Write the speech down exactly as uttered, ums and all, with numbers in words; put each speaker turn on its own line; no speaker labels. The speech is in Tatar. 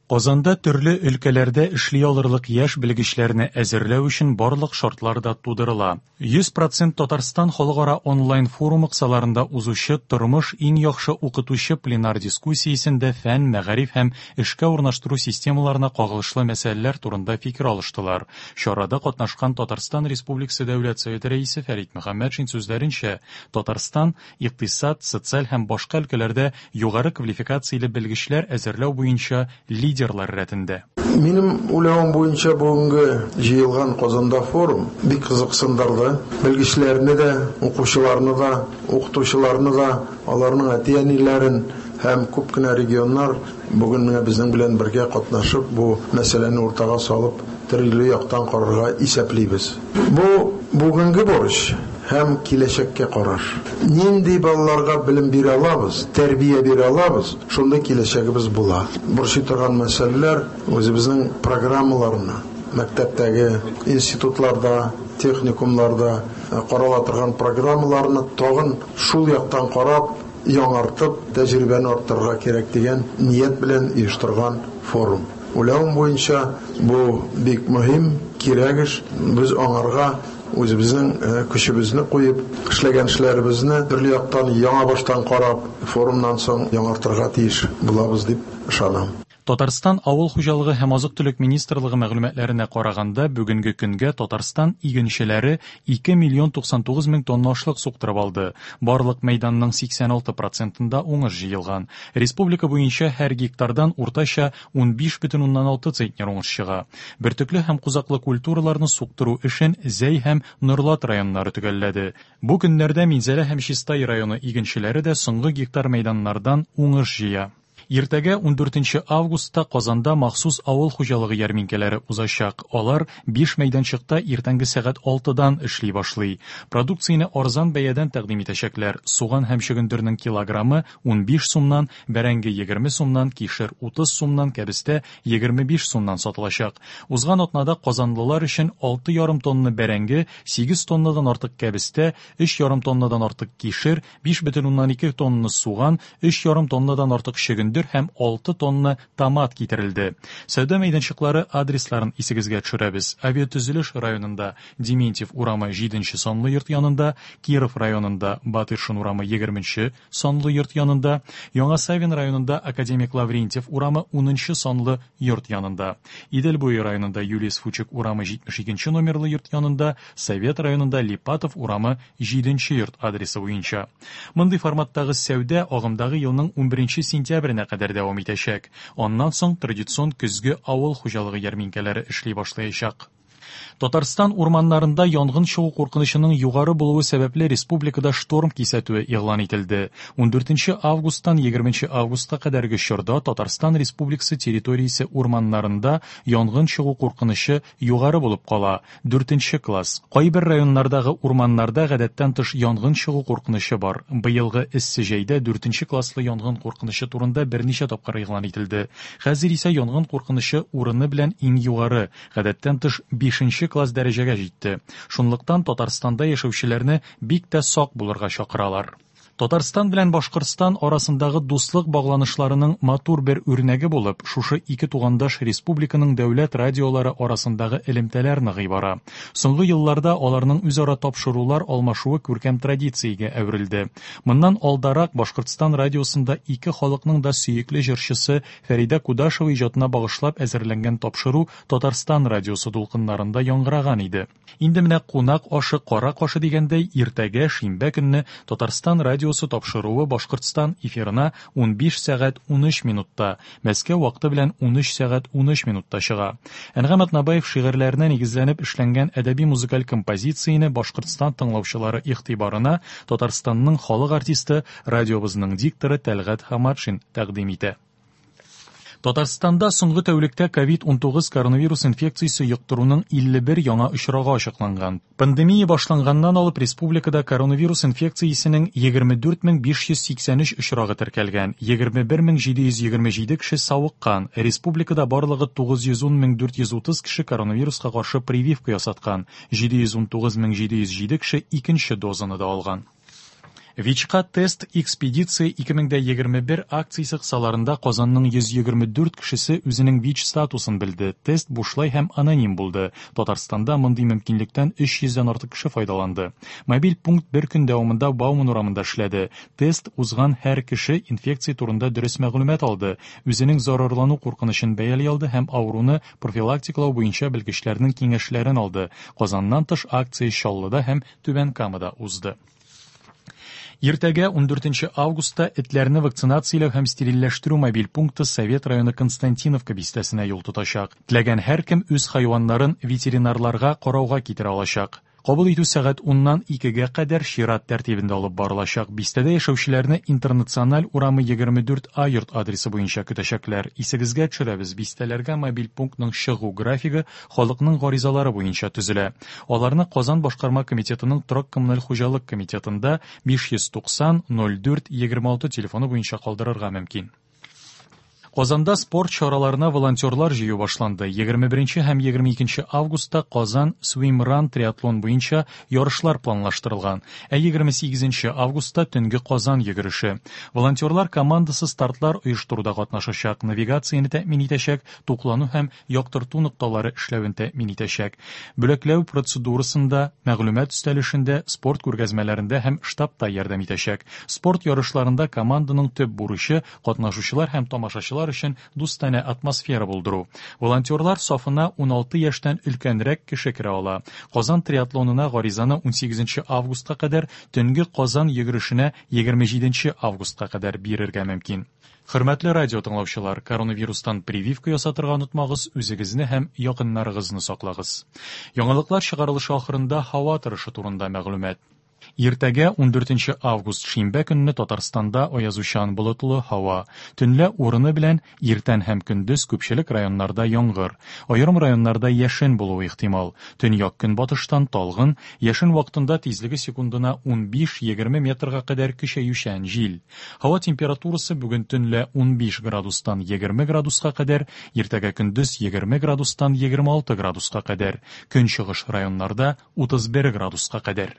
Казанда төрле өлкәләрдә эшли алырлык яшь белгечләрне әзерләү өчен барлык шартлар да тудырыла. йөз процент Татарстан халыкара онлайн-форумы кысаларында узучы «Тормыш иң яхшы укытучы» пленар дискуссиясендә фән, мәгариф һәм эшкә урнаштыру системаларына кагылышлы мәсьәләләр турында фикер алыштылар. Чарада катнашкан Татарстан Республикасы Дәүләт Советы Рәисе Фәрит Мөхәммәтшин сүзләренчә, Татарстан икътисад, социаль һәм башка өлкәләрдә югары квалификацияле белгечләр әзерләү буенча лидерлар рәтендә.
Минем уйлавым буенча, бүгенге җыелган Казанда форум бик кызыксындырды. Белгечләрне дә, укучыларны да, укытучыларны да, аларның әти-әниләрен һәм күп кенә регионнар бүген менә безнең белән бергә катнашып, бу мәсьәләне уртага салып, төрле яктан карарга исәплибез. Бу бүгенге бурыч һәм киләчәккә караш. Нинди балаларга белем бирә алабыз, тәрбия бирә алабыз, шундый киләчәгебез була. Борчый торган мәсьәләләр үзебезнең программаларны, мәктәптәге, институтларда, техникумларда карала торган программаларны тагын шул яктан карап, яңартып, тәҗрибәне арттырырга кирәк дигән ният белән оештырган форум. Уйлавым буенча, бу бик мөһим, кирәк эш. Без аңарга үзебезнең көчебезне куеп, эшләгән эшләребезне төрле яктан яңа баштан карап, форумнан соң яңартырга тиеш булабыз дип ышанам.
Татарстан Авыл хуҗалыгы һәм азык-төлек министрлыгы мәгълүматларына караганда, бүгенге көнгә Татарстан игенчеләре ике миллион туксан тугыз мең тонна ашлык суктырып алды. Барлык мәйданның сиксән алты процентында уңыш җыелган. Республика буенча һәр гектардан уртача унбиш бөтен уннан алты центнер уңыш чыга. Бөртекле һәм кузаклы культураларны суктыру эшен Зәй һәм Норлат районнары төгәлләде. Бу көннәрдә Минзәлә һәм Чистай районы игенчеләре дә соңгы гектар мәйданнардан уңыш җыя. Иртәгә ундүртенче августта Казанда махсус авыл хуҗалыгы ярминкәләре узачак. Алар биш мәйданчыкта иртәнге сәгать алтыдан эшли башлый. Продукцияне арзан бәядән тәкъдим итәчәкләр. Суган һәм чөгендернең килограммы унбиш сумнан, бәрәңге егерме сумнан, кишер утыз сумнан, кәбестә егерме биш сумнан сатылачак. Узган атнада казанлылар өчен алты ярым тонна бәрәңге, сигез тоннадан артык кәбестә, өч ярым тоннадан артык кишер, биш бөтен уннан ике тонна суган, өч ярым тоннадан артык чөгендер һәм алты тонна томат китерелде. Сәүдә мәйданчыклары адресларын исегезгә төшерәбез. Авиатөзелеш районында Дементьев урамы җиденче санлы йорт янында, Киров районында Батыршин урамы егерменче санлы йорт янында, Яңа Савин районында Академик Лаврентьев урамы унынчы санлы йорт янында, Идел буе районында Юлиус Фучик урамы җитмеш икенче номерлы йорт янында, Совет районында Липатов урамы җиденче йорт адресы буенча. Мондый форматтагы сәүдә агымдагы елның унберенче сентябренә кадәр дәвам итәчәк. Аннан соң традицион көзге авыл хуҗалыгы ярминкәләре эшли башлаячак. Татарстан урманнарында янгын чыгу куркынычының югары булуы сәбәпле республикада шторм кисәтүе игълан ителде. Ундүртенче августтан егерменче августка кадәрге чорда Татарстан Республикасы территориясе урманнарында янгын чыгу куркынычы югары булып кала. Дүртенче класс. Кайбер районнардагы урманнарда гадәттән тыш янгын чыгу куркынычы бар. Быелгы эссе җәйдә дүртенче класслы янгын куркынычы турында берничә тапкыр игълан ителде. Хәзер исә янгын куркынычы урыны белән иң югары, гадәттән тыш бишенче класс дәрәҗәгә җитте. Шунлыктан Татарстанда яшәүчеләрне бик тә сак булырга чакыралар. Татарстан белән Башкортстан арасындагы дуслык багланышларының матур бер үрнәге булып, шушы ике тугандаш республиканың дәүләт радиолары арасындагы элемтәләр ныгый бара. Соңгы елларда аларның үзара тапшырулар алмашуы күркәм традициягә әверелде. Моннан алдарак Башкортстан радиосында ике халыкның да сөекле җырчысы Фәридә Кудашева иҗатына багышлап әзерләнгән тапшыру Татарстан радиосы дулкыннарында яңгыраган иде. Инде менә кунак ашы кара кашы дигәндәй, иртәгә шимбә көнне Татарстан радиосы тапшыруы Башкортстан эфирына унбиш сәгать унөч минутта, Мәскәү вакыты белән унөч сәгать унөч минутта чыга. Әнгам Атнабаев шигырьләренә нигезләнеп эшләнгән әдәби музыкаль композицияне Башкортстан тыңлаучылары игътибарына Татарстанның халык артисты, радиобызның дикторы Тәлгать Хаматшин тәкъдим итә. Татарстанда соңгы тәүлектә ковид унтугыз коронавирус инфекциясе йоктыруның илле бер яңа очрагы ачыкланган. Пандемия башланганнан алып республикада коронавирус инфекциясенең егерме дүрт мең биш йөз сиксән өч очрагы теркәлгән, егерме бер мең җиде йөз егерме җиде кеше савыккан. Республикада барлыгы тугыз йөз ун мең дүрт йөз утыз кеше коронавируска каршы прививка ясаткан, җиде йөз ун тугыз мең җиде йөз җиде кеше икенче дозаны да алган. ВИЧка тест экспедиция ике мең дә егерме бер акциясе кысаларында Казанның йөз егерме дүрт кешесе үзенең ВИЧ статусын белде. Тест бушлай һәм аноним булды. Татарстанда мондый мөмкинлектән өч йөздән артык кеше файдаланды. Мобиль пункт бер көн дәвамында Бауман урамында эшләде. Тест узган һәр кеше инфекция турында дөрес мәгълүмат алды, үзенең зарарлану куркынычын бәяли алды һәм авыруны профилактикалау буенча белгечләрнең киңәшләрен алды. Казаннан тыш акция Чаллыда һәм Түбән Камада узды. Иртәгә ундүртенче августта этләрне вакцинацияләү һәм стерильләштерү мобиль пункты Совет районы Константиновка бистәсенә юл тотачак. Теләгән һәркем үз хайваннарын ветеринарларга карауга китерә алачак. Кабул итү сәгать уннан икегә кадәр чират тәртибендә алып барылачак. Бистәдә яшәүчеләрне Интернациональ урамы егерме дүрт А йорт адресы буенча көтәчәкләр. Исегезгә төшерәбез, бистәләргә мобиль пунктның чыгу графигы халыкның гаризалары буенча төзелә. Аларны Казан башкарма комитетының торак коммуналь хуҗалык комитетында биш йөз туксан ноль дүрт егерме алты телефоны буенча калдырырга мөмкин. Казанда спорт чараларына волонтерлар җыю башланды. Егерме беренче һәм егерме икенче августта Казан Swimrun триатлон буенча ярышлар планлаштырылган. Ә егерме сигезенче августта төнге Казан йөгереше. Волонтерлар командасы стартлар оештыруда катнашачак, навигацияне тәэмин итәчәк, туклану һәм яктырту нокталары эшләвен тәэмин итәчәк. Бүләкләү процедурасында, мәгълүмат өстәлешендә, спорт күргәзмәләрендә һәм штабта ярдәм итәчәк. Спорт ярышларында команданың төп бурычы катнашучылар һәм тамашачылар өчен дустанә атмосфера булдыру. Волонтерлар сафына уналты яшьтән өлкәнрәк кеше керә ала. Казан триатлонына гаризаны унсигезенче августка кадәр, төнге Казан йөгерешенә егерме җиденче августка кадәр бирергә мөмкин. Хөрмәтле радио тыңлаучылар, коронавирустан прививка ясатырга онытмагыз, үзегезне һәм якыннарыгызны саклагыз. Яңалыклар чыгарылышы ахырында һава торышы турында мәгълүмат. Иртәгә ундүртенче август шимбә көнне Татарстанда аязучан болытлы һава. Төнлә урыны белән иртән һәм көндез күпчелек районнарда яңгыр. Аерым районнарда яшен булуы ихтимал. Төньяк көнбатыштан талгын, яшен вакытында тизлеге секундына унбиш-егерме метрга кадәр көчәючән җил. Һава температурасы бүген төнлә унбиш градустан егерме градуска кадәр, иртәгә көндез егерме градустан егерме алты градуска кадәр. Көнчыгыш районнарда утыз бер градуска кадәр.